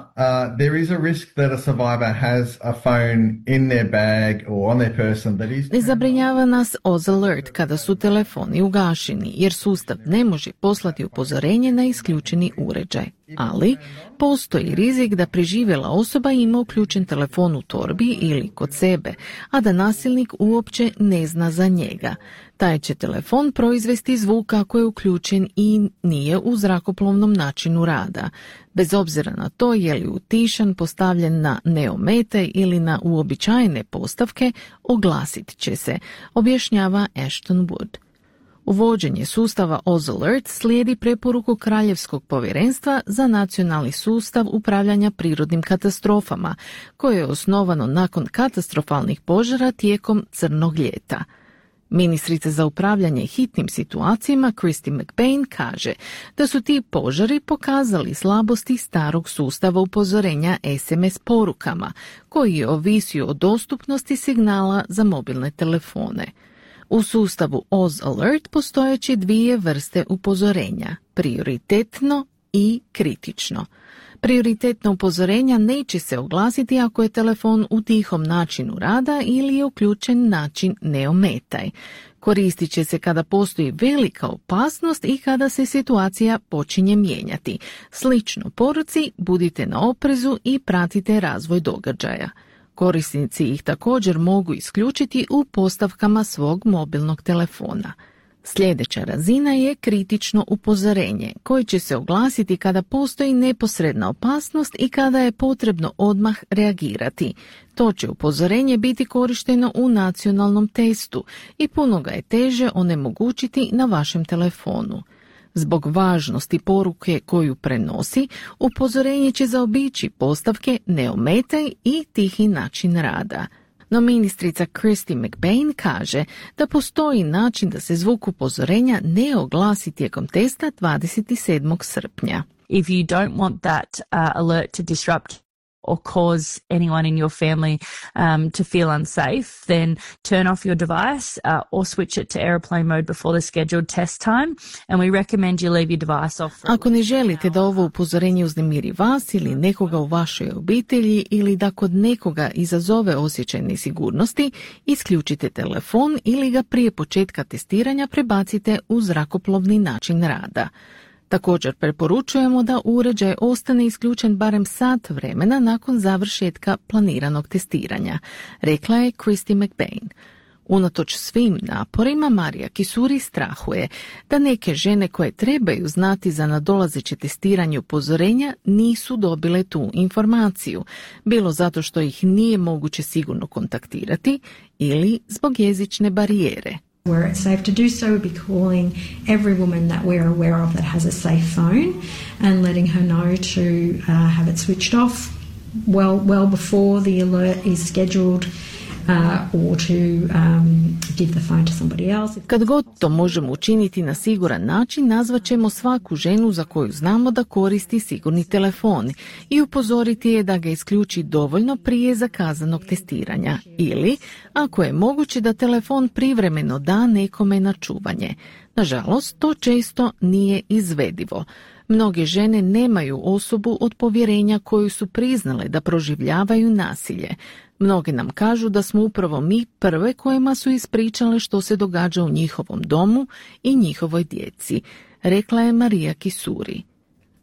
there is a risk that a survivor has a phone in their bag or on their person that is... Ne zabrinjava nas Oz Alert kada su telefoni ugašeni, jer sustav ne može poslati upozorenje na isključeni uređaj. Ali postoji rizik da preživjela osoba ima uključen telefon u torbi ili kod sebe, a da nasilnik uopće ne zna za njega. Taj će telefon proizvesti zvuk ako je uključen i nije u zrakoplovnom načinu rada. Bez obzira na to je li utišan, postavljen na neometaj ili na uobičajene postavke, oglasit će se, objašnjava Ashton Wood. Uvođenje sustava Oz Alert slijedi preporuku Kraljevskog povjerenstva za nacionalni sustav upravljanja prirodnim katastrofama, koje je osnovano nakon katastrofalnih požara tijekom crnog ljeta. Ministrica za upravljanje hitnim situacijama Christy McBain kaže da su ti požari pokazali slabosti starog sustava upozorenja SMS porukama, koji je ovisio o dostupnosti signala za mobilne telefone. U sustavu Oz Alert postojeće dvije vrste upozorenja, prioritetno i kritično. Prioritetna upozorenja neće se oglasiti ako je telefon u tihom načinu rada ili je uključen način neometaj. Koristit će se kada postoji velika opasnost i kada se situacija počinje mijenjati. Slično poruci, budite na oprezu i pratite razvoj događaja. Korisnici ih također mogu isključiti u postavkama svog mobilnog telefona. Sljedeća razina je kritično upozorenje, koje će se oglasiti kada postoji neposredna opasnost i kada je potrebno odmah reagirati. To će upozorenje biti korišteno u nacionalnom testu i puno ga je teže onemogućiti na vašem telefonu. Zbog važnosti poruke koju prenosi, upozorenje će zaobići postavke neometaj i tihi način rada. No ministrica Christy McBain kaže da postoji način da se zvuk upozorenja ne oglasi tijekom testa 27. srpnja. If you don't want that alert to disrupt or cause anyone in your family to feel unsafe, then turn off your device or switch it to airplane mode before the scheduled test time, and we recommend you leave your device off. Ako ne želite da ovo upozorenje uznemiri vas ili nekoga u vašoj obitelji ili da kod nekoga izazove osjećaj nesigurnosti, isključite telefon ili ga prije početka testiranja prebacite u zrakoplovni način rada. Također preporučujemo da uređaj ostane isključen barem sat vremena nakon završetka planiranog testiranja, rekla je Christy McBain. Unatoč svim naporima, Marija Kisuri strahuje da neke žene koje trebaju znati za nadolazeće testiranje upozorenja nisu dobile tu informaciju, bilo zato što ih nije moguće sigurno kontaktirati ili zbog jezične barijere. Where it's safe to do so, we'd be calling every woman that we're aware of that has a safe phone and letting her know to have it switched off well before the alert is scheduled. Or to give the phone to somebody else. Kad god to možemo učiniti na siguran način, nazvat ćemo svaku ženu za koju znamo da koristi sigurni telefon i upozoriti je da ga isključi dovoljno prije zakazanog testiranja ili, ako je moguće, da telefon privremeno da nekome na čuvanje. Nažalost, to često nije izvedivo. Mnoge žene nemaju osobu od povjerenja koju su priznale da proživljavaju nasilje. Mnoge nam kažu da smo upravo mi prve kojima su ispričale što se događa u njihovom domu i njihovoj djeci, rekla je Marija Kisuri.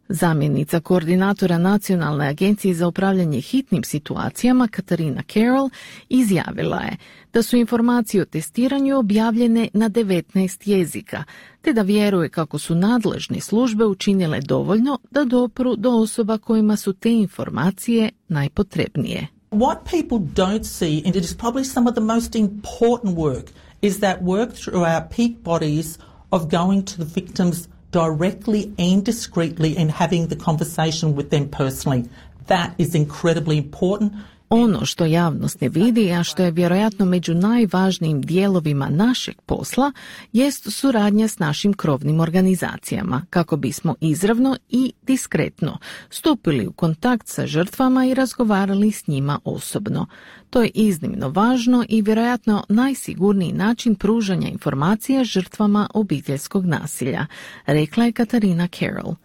Zamjenica koordinatora Nacionalne agencije za upravljanje hitnim situacijama Katarina Carroll izjavila je da su informacije o testiranju objavljene na 19 jezika, te da vjeruje kako su nadležne službe učinile dovoljno da dopru do osoba kojima su te informacije najpotrebnije. What people don't see, and it is probably some of the most important work, is that work through our peak bodies of going to the victims directly and discreetly and having the conversation with them personally. That is incredibly important. Ono što javnost ne vidi, a što je vjerojatno među najvažnijim dijelovima našeg posla, jest suradnja s našim krovnim organizacijama, kako bismo izravno i diskretno stupili u kontakt sa žrtvama i razgovarali s njima osobno. To je iznimno važno i vjerojatno najsigurniji način pružanja informacija žrtvama obiteljskog nasilja, rekla je Katarina Carroll.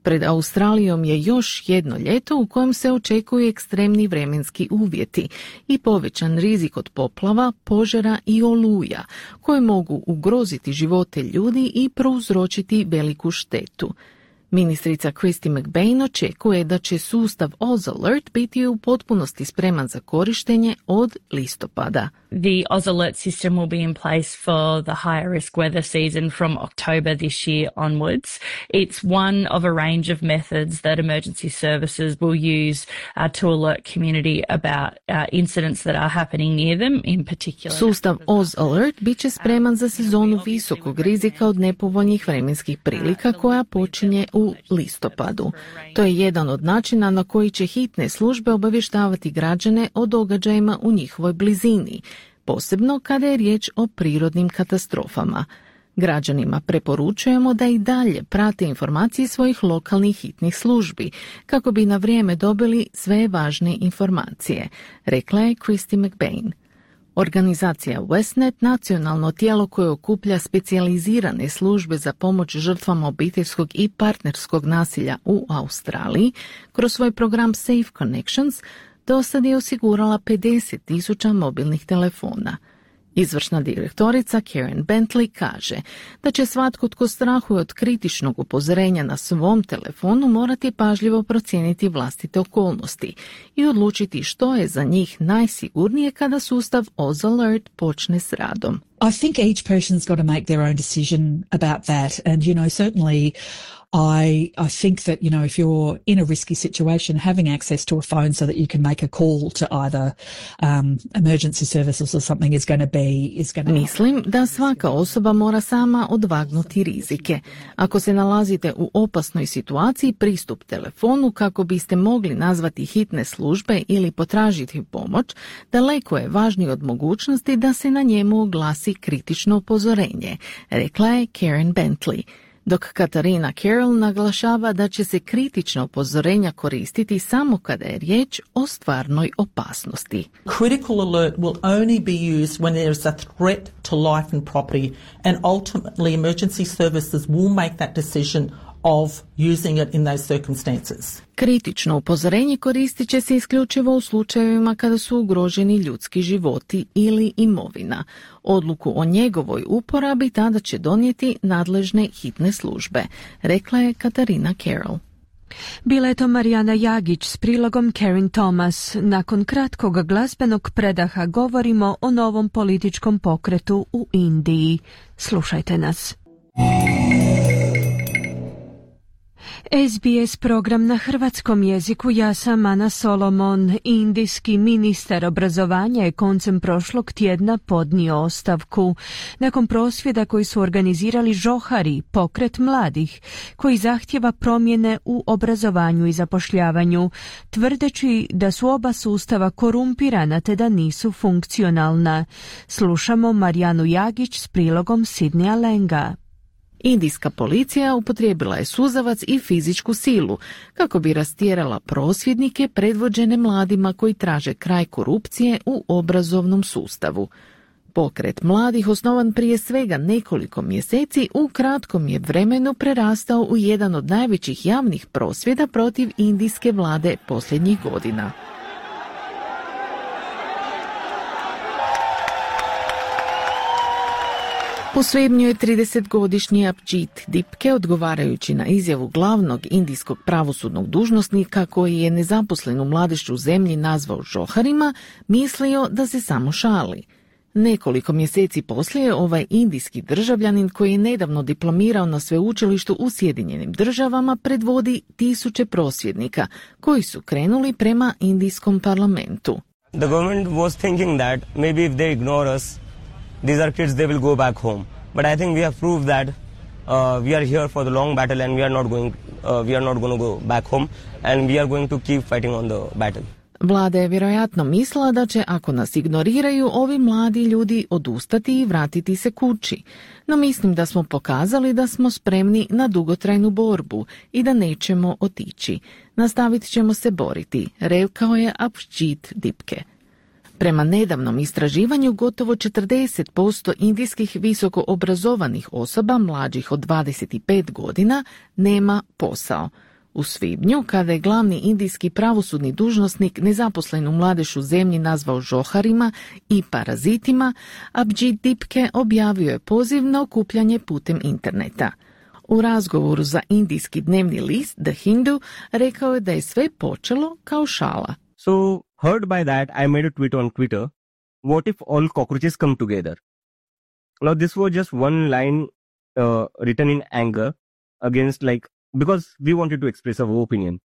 Pred Australijom je još jedno ljeto u kojem se očekuju ekstremni vremenski uvjeti i povećan rizik od poplava, požara i oluja, koje mogu ugroziti živote ljudi i prouzročiti veliku štetu. Ministrica Christy McBain očekuje da će sustav Oz Alert biti u potpunosti spreman za korištenje od listopada. The Oz Alert system will be in place for the higher risk weather season from October this year onwards. It's one of a range of methods that emergency services will use to alert community about incidents that are happening near them in particular. Sustav Oz Alert bit će spreman za sezonu visokog rizika od nepovoljnih vremenskih prilika koja počinje u listopadu. To je jedan od načina na koji će hitne službe obavještavati građane o događajima u njihovoj blizini, posebno kada je riječ o prirodnim katastrofama. Građanima preporučujemo da i dalje prate informacije svojih lokalnih hitnih službi, kako bi na vrijeme dobili sve važne informacije, rekla je Christy McBain. Organizacija Westnet, nacionalno tijelo koje okuplja specijalizirane službe za pomoć žrtvama obiteljskog i partnerskog nasilja u Australiji, kroz svoj program Safe Connections dosad je osigurala 50,000 mobilnih telefona. Izvršna direktorica Karen Bentley kaže da će svatko tko strahuje od kritičnog upozorenja na svom telefonu morati pažljivo procijeniti vlastite okolnosti i odlučiti što je za njih najsigurnije kada sustav Oz Alert počne s radom. I think each person's got to make their own decision about that, and certainly I think that if you're in a risky situation, having access to a phone so that you can make a call to either emergency services or something is going to be. Mislim da svaka osoba mora sama odvagnuti rizike. Ako se nalazite u opasnoj situaciji, pristup telefonu kako biste mogli nazvati hitne službe ili potražiti pomoć daleko je važniji od mogućnosti da se na njemu oglasi kritično upozorenje, rekla je Karen Bentley. Dok Katarina Carroll naglašava da će se kritična upozorenja koristiti samo kada je riječ o stvarnoj opasnosti. Critical alert will only be used when there is a threat to life and property, and ultimately emergency services will make that decision of using it in those circumstances. Kritično upozorenje koristit će se isključivo u slučajevima kada su ugroženi ljudski životi ili imovina. Odluku o njegovoj uporabi tada će donijeti nadležne hitne službe, rekla je Katarina Carroll. Bila je to Marijana Jagić s prilogom Karen Thomas. Nakon kratkog glazbenog predaha govorimo o novom političkom pokretu u Indiji. Slušajte nas. SBS program na hrvatskom jeziku. Ja sam Ana Solomon. Indijski ministar obrazovanja je koncem prošlog tjedna podnio ostavku nakon prosvjeda koji su organizirali Johari, pokret mladih, koji zahtjeva promjene u obrazovanju i zapošljavanju, tvrdeći da su oba sustava korumpirana te da nisu funkcionalna. Slušamo Marijanu Jagić s prilogom Sidneja Lenga. Indijska policija upotrijebila je suzavac i fizičku silu kako bi rastjerala prosvjednike predvođene mladima koji traže kraj korupcije u obrazovnom sustavu. Pokret mladih, osnovan prije svega nekoliko mjeseci, u kratkom je vremenu prerastao u jedan od najvećih javnih prosvjeda protiv indijske vlade posljednjih godina. U svibnju je 30-godišnji Abhijit Dipke, odgovarajući na izjavu glavnog indijskog pravosudnog dužnosnika koji je nezaposlenu mladež u zemlji nazvao Joharima, mislio da se samo šali. Nekoliko mjeseci poslije ovaj indijski državljanin koji je nedavno diplomirao na sveučilištu u Sjedinjenim Državama predvodi tisuće prosvjednika koji su krenuli prema indijskom parlamentu. The government was thinking that maybe if they ignore us, these are kids, they will go back home. But I think we have proved that we are here for the long battle and we are not going to go back home and we are going to keep fighting on the battle. Vlada je vjerojatno mislila da će, ako nas ignoriraju, ovi mladi ljudi odustati i vratiti se kući. No mislim da smo pokazali da smo spremni na dugotrajnu borbu i da nećemo otići. Nastavit ćemo se boriti, rekao je Abhijit Dipke. Prema nedavnom istraživanju, gotovo 40% indijskih visoko obrazovanih osoba mlađih od 25 godina nema posao. U svibnju, kada je glavni indijski pravosudni dužnosnik nezaposlenu mladež u zemlji nazvao Joharima i parazitima, Abhijit Dipke objavio je poziv na okupljanje putem interneta. U razgovoru za indijski dnevni list The Hindu rekao je da je sve počelo kao šala. So, hurt by that, I made a tweet on Twitter. What if all cockroaches come together? Now, this was just one line written in anger against, because we wanted to express our opinion.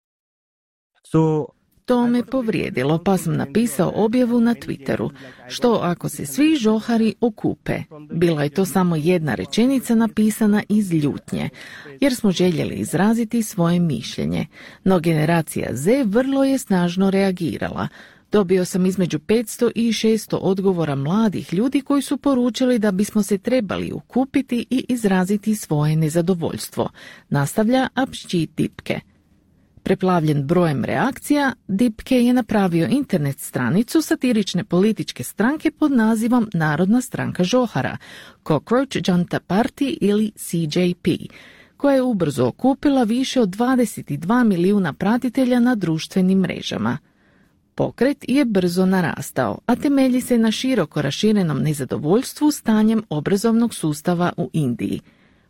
So, to me povrijedilo, pa sam napisao objavu na Twitteru. Što ako se svi Johari okupe? Bila je to samo jedna rečenica napisana iz ljutnje, jer smo željeli izraziti svoje mišljenje. No generacija Z vrlo je snažno reagirala. Dobio sam između 500 i 600 odgovora mladih ljudi koji su poručili da bismo se trebali okupiti i izraziti svoje nezadovoljstvo, nastavlja Abhijit Dipke. Preplavljen brojem reakcija, Dipke je napravio internet stranicu satirične političke stranke pod nazivom Narodna stranka Johara, Cockroach Janta Party ili CJP, koja je ubrzo okupila više od 22 milijuna pratitelja na društvenim mrežama. Pokret je brzo narastao, a temelji se na široko raširenom nezadovoljstvu stanjem obrazovnog sustava u Indiji.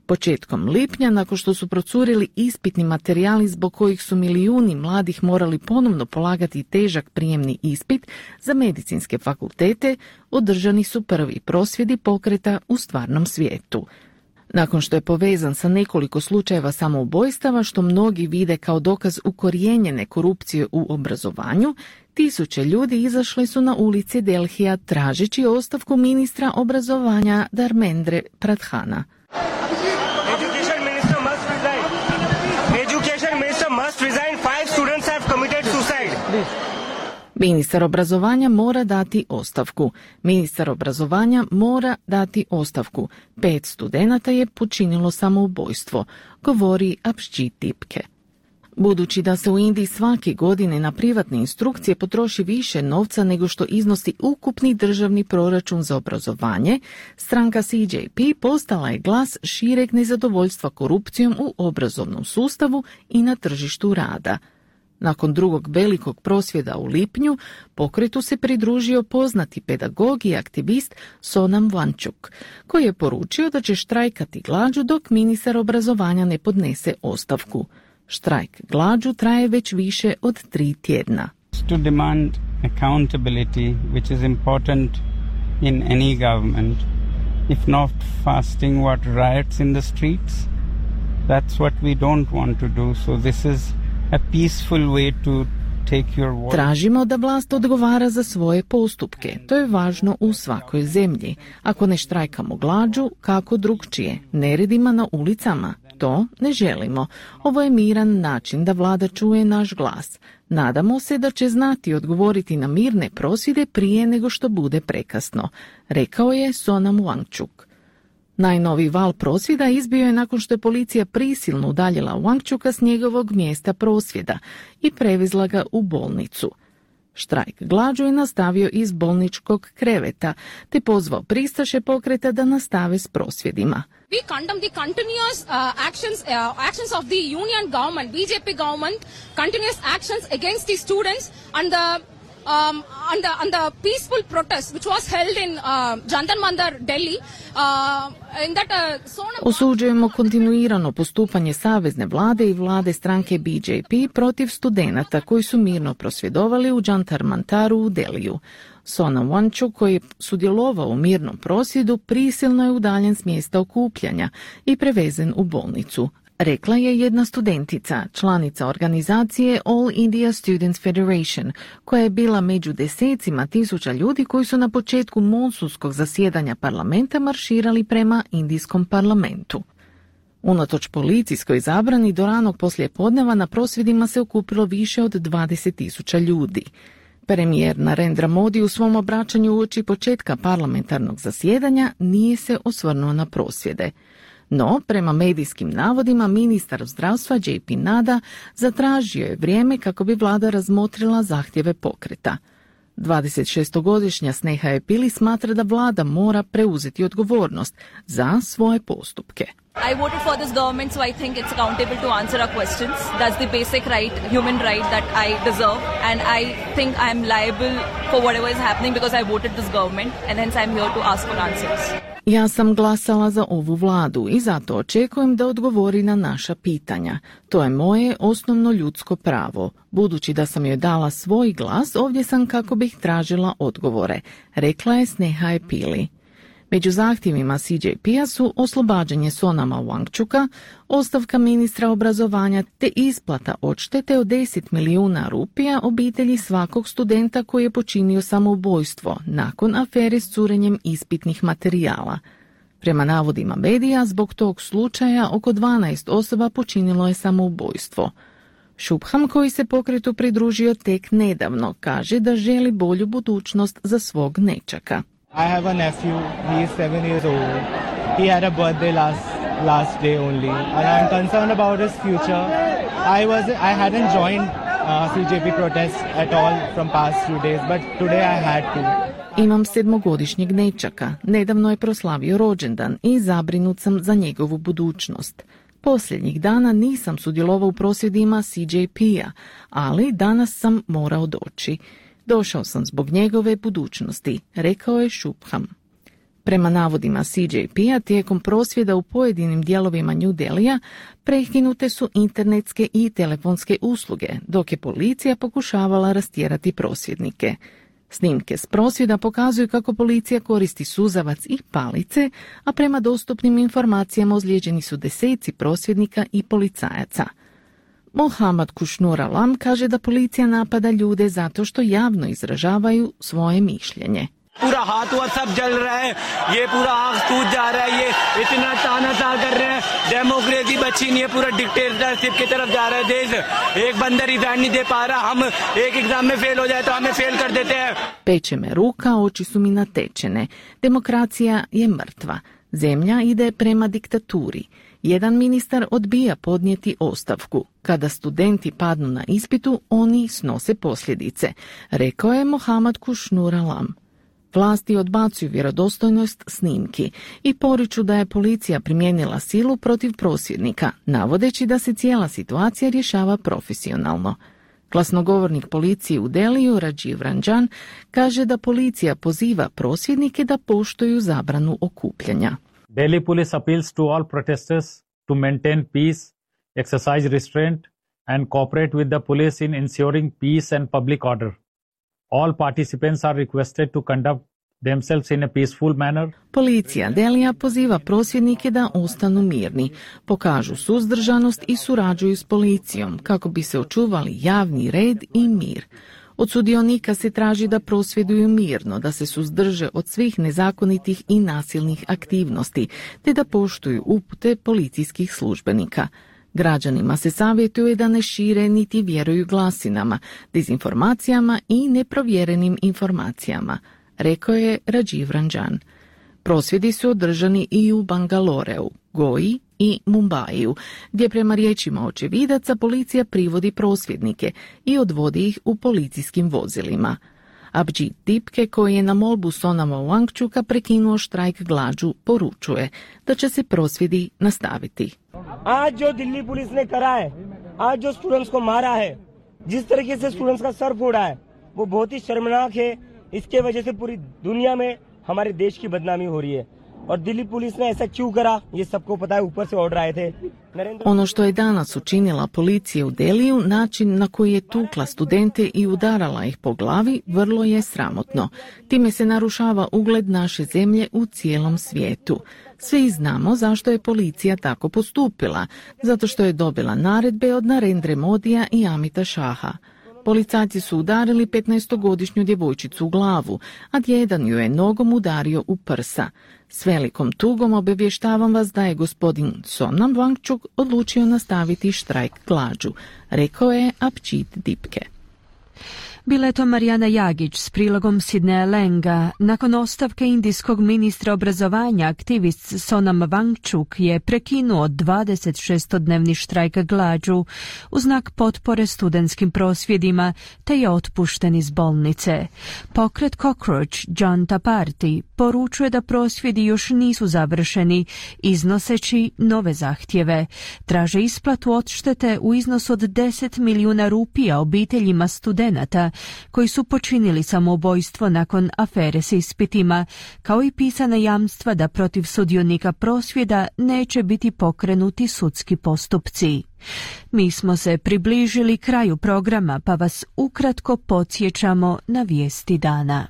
Početkom lipnja, nakon što su procurili ispitni materijali zbog kojih su milijuni mladih morali ponovno polagati težak prijemni ispit za medicinske fakultete, održani su prvi prosvjedi pokreta u stvarnom svijetu. Nakon što je povezan sa nekoliko slučajeva samoubojstava što mnogi vide kao dokaz ukorijenjene korupcije u obrazovanju, tisuće ljudi izašli su na ulici Delhija tražeći ostavku ministra obrazovanja Dharmendra Pradhana. Ministar obrazovanja mora dati ostavku. Ministar obrazovanja mora dati ostavku. 5 studenata je počinilo samoubojstvo, govori Abhijit Dipke. Budući da se u Indiji svake godine na privatne instrukcije potroši više novca nego što iznosi ukupni državni proračun za obrazovanje, stranka CJP postala je glas šireg nezadovoljstva korupcijom u obrazovnom sustavu i na tržištu rada. Nakon drugog velikog prosvjeda u lipnju, pokretu se pridružio poznati pedagog i aktivist Sonam Wangchuk, koji je poručio da će štrajkati glađu dok ministar obrazovanja ne podnese ostavku. Štrajk glađu traje već više od 3 tjedna. To demand accountability, which is important in any government. If not fasting, what riots in the streets? That's what we don't want to do. So this is a peaceful way to take your voice. Tražimo da vlast odgovara za svoje postupke. To je važno u svakoj zemlji. Ako ne štrajkamo glađu, kako drugčije? Neredima na ulicama? To ne želimo. Ovo je miran način da vlada čuje naš glas. Nadamo se da će znati odgovoriti na mirne prosvjede prije nego što bude prekasno, rekao je Sonam Wangchuk. Najnoviji val prosvjeda izbio je nakon što je policija prisilno udaljila Wangchuka s njegovog mjesta prosvjeda i prevezla ga u bolnicu. Štrajk glađu je nastavio iz bolničkog kreveta, te pozvao pristaše pokreta da nastave s prosvjedima. We condemn the continuous actions of the union government, BJP government, continuous actions against the students and the peaceful protest which was held in Jantar Mandir, Delhi. Osuđujemo kontinuirano postupanje savezne vlade i vlade stranke BJP protiv studenata koji su mirno prosvjedovali u Jantar Mantaru u Deliju. Sonam Wangchuk, koji je sudjelovao u mirnom prosvjedu, prisilno je udaljen s mjesta okupljanja i prevezen u bolnicu, rekla je jedna studentica, članica organizacije All India Students Federation, koja je bila među desecima tisuća ljudi koji su na početku monsunskog zasjedanja parlamenta marširali prema indijskom parlamentu. Unatoč policijskoj zabrani do ranog poslijepodneva na prosvjedima se okupilo više od 20.000 ljudi. Premijer Narendra Modi u svom obraćanju uoči početka parlamentarnog zasjedanja nije se osvrnuo na prosvjede. No, prema medijskim navodima, ministar zdravstva JP Nada zatražio je vrijeme kako bi vlada razmotrila zahtjeve pokreta. 26-godišnja Sneha Pili smatra da vlada mora preuzeti odgovornost za svoje postupke. I voted for this government, so I think it's accountable to answer our questions. That's the basic right, human right that I deserve, and I think I'm liable for whatever is happening because I voted this government, and hence I'm here to ask for answers. Ja sam glasala za ovu vladu i zato očekujem da odgovori na naša pitanja. To je moje osnovno ljudsko pravo. Budući da sam joj dala svoj glas, ovdje sam kako bih tražila odgovore, rekla je Sneha Pili. Među zahtjevima CJP-a su oslobađanje Sonama Wangchuka, ostavka ministra obrazovanja te isplata odštete od 10 milijuna rupija obitelji svakog studenta koji je počinio samoubojstvo nakon afere s curenjem ispitnih materijala. Prema navodima medija, zbog tog slučaja oko 12 osoba počinilo je samoubojstvo. Shubham, koji se pokretu pridružio tek nedavno, kaže da želi bolju budućnost za svog nečaka. I have a nephew, he is 7 years old. He had a birthday last day only, and I'm concerned about his future. I hadn't joined CJP protests at all from past few days, but today I had to. Imam 7-godišnjeg nečaka. Nedavno je proslavio rođendan i zabrinut sam za njegovu budućnost. Posljednjih dana nisam sudjelovao u prosvjedima CJP-a, ali danas sam morao doći. Došao sam zbog njegove budućnosti, rekao je Shubham. Prema navodima CJP-a, tijekom prosvjeda u pojedinim dijelovima New Delhija prekinute su internetske i telefonske usluge, dok je policija pokušavala rastjerati prosvjednike. Snimke s prosvjeda pokazuju kako policija koristi suzavac i palice, a prema dostupnim informacijama ozlijeđeni su deseci prosvjednika i policajaca. Mohammad Kushnur Alam kaže da policija napada ljude zato što javno izražavaju svoje mišljenje. पूरा हाथ हुआ सब जल रहा है, ये पूरा आग सूझ जा रहा है, ये इतना तानाशाह कर रहे हैं, डेमोक्रेसी बची नहीं है, पूरा डिक्टेटरशिप की तरफ जा रहा है देश. एक बंदा रिजाइन नहीं दे पा रहा, हम एक एग्जाम में फेल हो जाए तो हमें फेल कर देते हैं. Peče me ruka, oči su mi natečene. Demokracija je mrtva. Zemlja ide prema diktaturi. Jedan ministar odbija podnijeti ostavku. Kada studenti padnu na ispitu, oni snose posljedice, rekao je Mohammad Kushnur Alam. Vlasti odbacuju vjerodostojnost snimki i poriču da je policija primijenila silu protiv prosvjednika, navodeći da se cijela situacija rješava profesionalno. Glasnogovornik policije u Deliju, Rajiv Ranjan, kaže da policija poziva prosvjednike da poštuju zabranu okupljanja. Delhi police appeals to all protesters to maintain peace, exercise restraint and cooperate with the police in ensuring peace and public order. All participants are requested to conduct themselves in a peaceful manner. Policija Delija poziva prosvjednike da ostanu mirni, pokažu suzdržanost i surađuju s policijom kako bi se očuvali javni red i mir. Od sudionika se traži da prosvjeduju mirno, da se suzdrže od svih nezakonitih i nasilnih aktivnosti, te da poštuju upute policijskih službenika. Građanima se savjetuje da ne šire niti vjeruju glasinama, dezinformacijama i neprovjerenim informacijama, rekao je Rajiv Ranjan. Prosvjedi su održani i u Bangaloreu, Goji i Mumbaiju, gdje prema riječima očevidaca policija privodi prosvjednike i odvodi ih u policijskim vozilima. Abhijit Dipke, koji je na molbu Sonama Wangchuka prekinuo štrajk glađu, poručuje da će se prosvjedi nastaviti. आज जो दिल्ली पुलिस ने करा है, आज जो स्टूडेंट्स को मारा है, जिस तरीके से स्टूडेंट्स का सर फोड़ा है, वो बहुत ही शर्मनाक है. इसके वजह से पूरी दुनिया में हमारे देश की बदनामी हो रही है. और दिल्ली पुलिस ने ऐसा क्यों करा, ये सबको पता है, ऊपर से ऑर्डर आए थे. Ono što je danas učinila policija u Deliju, način na koji je tukla studente i udarala ih po glavi, vrlo je sramotno. Time se narušava ugled naše zemlje u cijelom svijetu. Svi znamo zašto je policija tako postupila, zato što je dobila naredbe od Narendre Modija i Amita Šaha. Policajci su udarili 15-godišnju djevojčicu u glavu, a jedan ju je nogom udario u prsa. S velikom tugom obavještavam vas da je gospodin Sonam Wangchuk odlučio nastaviti štrajk glađu, rekao je Abhijit Dipke. Bila je to Marijana Jagić s prilogom Sidneja Lenga. Nakon ostavke indijskog ministra obrazovanja, aktivist Sonam Wangchuk je prekinuo 26-dnevni štrajk glađu u znak potpore studentskim prosvjedima, te je otpušten iz bolnice. Pokret Cockroach Janta Party poručuje da prosvjedi još nisu završeni, iznoseći nove zahtjeve. Traže isplatu odštete u iznosu od 10 milijuna rupija obiteljima studenata koji su počinili samoubojstvo nakon afere s ispitima, kao i pisana jamstva da protiv sudionika prosvjeda neće biti pokrenuti sudski postupci. Mi smo se približili kraju programa, pa vas ukratko podsjećamo na vijesti dana.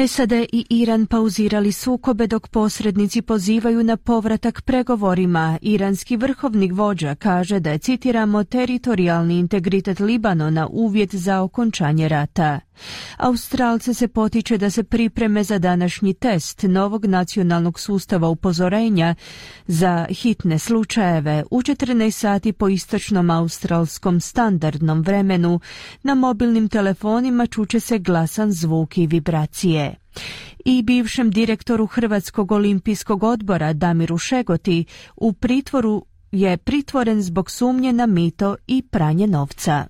SAD i Iran pauzirali sukobe dok posrednici pozivaju na povratak pregovorima. Iranski vrhovni vođa kaže da je, citiramo, teritorijalni integritet Libanona uvjet za okončanje rata. Australce se potiče da se pripreme za današnji test novog nacionalnog sustava upozorenja za hitne slučajeve u 14 sati po istočnom australskom standardnom vremenu. Na mobilnim telefonima čuće se glasan zvuk i vibracije. I bivšem direktoru Hrvatskog olimpijskog odbora Damiru Šegoti u pritvoru je pritvoren zbog sumnje na mito i pranje novca.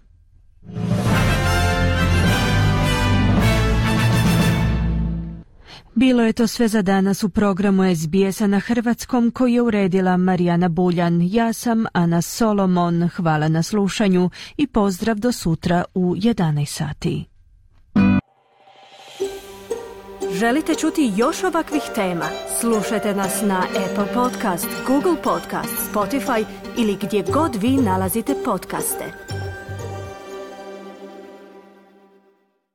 Bilo je to sve za danas u programu SBS-a na hrvatskom koji je uredila Marijana Buljan. Ja sam Ana Solomon. Hvala na slušanju i pozdrav do sutra u 11 sati. Želite čuti još ovakvih tema? Slušajte nas na Apple Podcast, Google Podcast, Spotify ili gdje god vi nalazite podcaste.